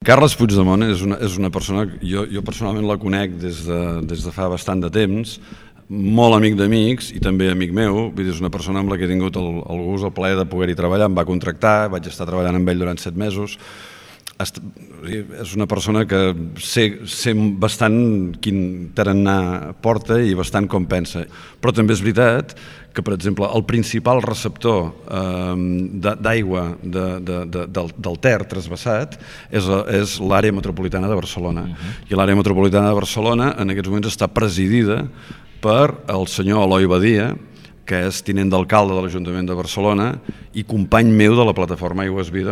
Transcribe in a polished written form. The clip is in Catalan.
Carles Puigdemont és una persona, jo personalment la conec des de fa bastant de temps, molt amic d'amics i també amic meu, vull dir, és una persona amb la que he tingut el gust, el plaer de poder-hi treballar, em va contractar, vaig estar treballant amb ell durant 7 mesos, és una persona que sé bastant quin tarannà porta i bastant com pensa, però també és veritat que, per exemple, el principal receptor d'aigua del Ter transvasat és l'àrea metropolitana de Barcelona. I l'àrea metropolitana de Barcelona en aquests moments està presidida per el senyor Eloi Badia, que és tinent d'alcalde de l'Ajuntament de Barcelona i company meu de la plataforma Aigües Vida.